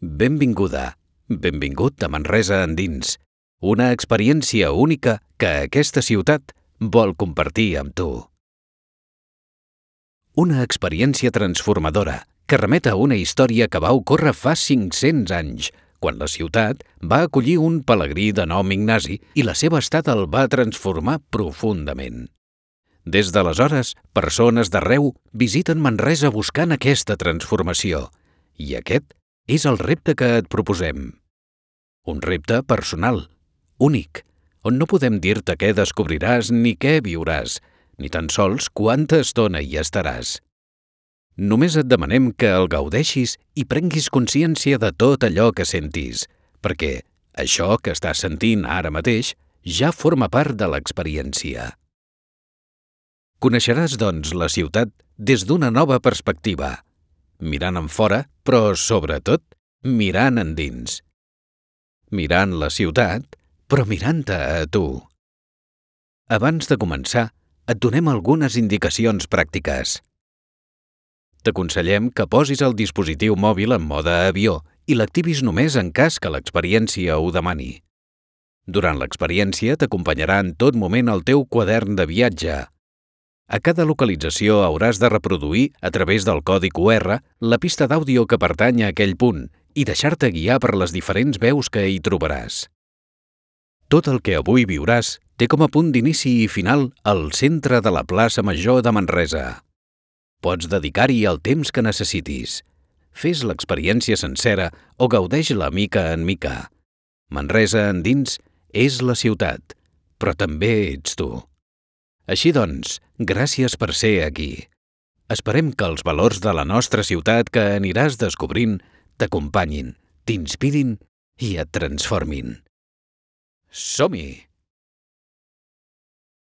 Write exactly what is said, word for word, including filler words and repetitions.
Benvinguda, benvingut a Manresa endins, una experiència única que aquesta ciutat vol compartir amb tu. Una experiència transformadora que remet a una història que va ocórrer fa cinc-cents anys, quan la ciutat va acollir un pelegrí de nom Ignasi i la seva estada el va transformar profundament. Des d'aleshores, persones d'arreu visiten Manresa buscant aquesta transformació, i aquest és el repte que et proposem. Un repte personal, únic, on no podem dir-te què descobriràs ni què viuràs, ni tan sols quanta estona hi estaràs. Només et demanem que el gaudeixis i prenguis consciència de tot allò que sentis, perquè això que estàs sentint ara mateix ja forma part de l'experiència. Coneixeràs, doncs, la ciutat des d'una nova perspectiva, mirant enfora, però, sobretot, mirant endins. Mirant la ciutat, però mirant-te a tu. Abans de començar, et donem algunes indicacions pràctiques. T'aconsellem que posis el dispositiu mòbil en mode avió i l'activis només en cas que l'experiència ho demani. Durant l'experiència t'acompanyarà en tot moment el teu quadern de viatge. A cada localització hauràs de reproduir, a través del codi cu erre, la pista d'àudio que pertany a aquell punt i deixar-te guiar per les diferents veus que hi trobaràs. Tot el que avui viuràs té com a punt d'inici i final el centre de la plaça Major de Manresa. Pots dedicar-hi el temps que necessitis. Fes l'experiència sencera o gaudeix-la mica en mica. Manresa endins és la ciutat, però també ets tu. Així doncs, gràcies per ser aquí. Esperem que els valors de la nostra ciutat que aniràs descobrint t'acompanyin, t'inspirin i et transformin. Som-hi!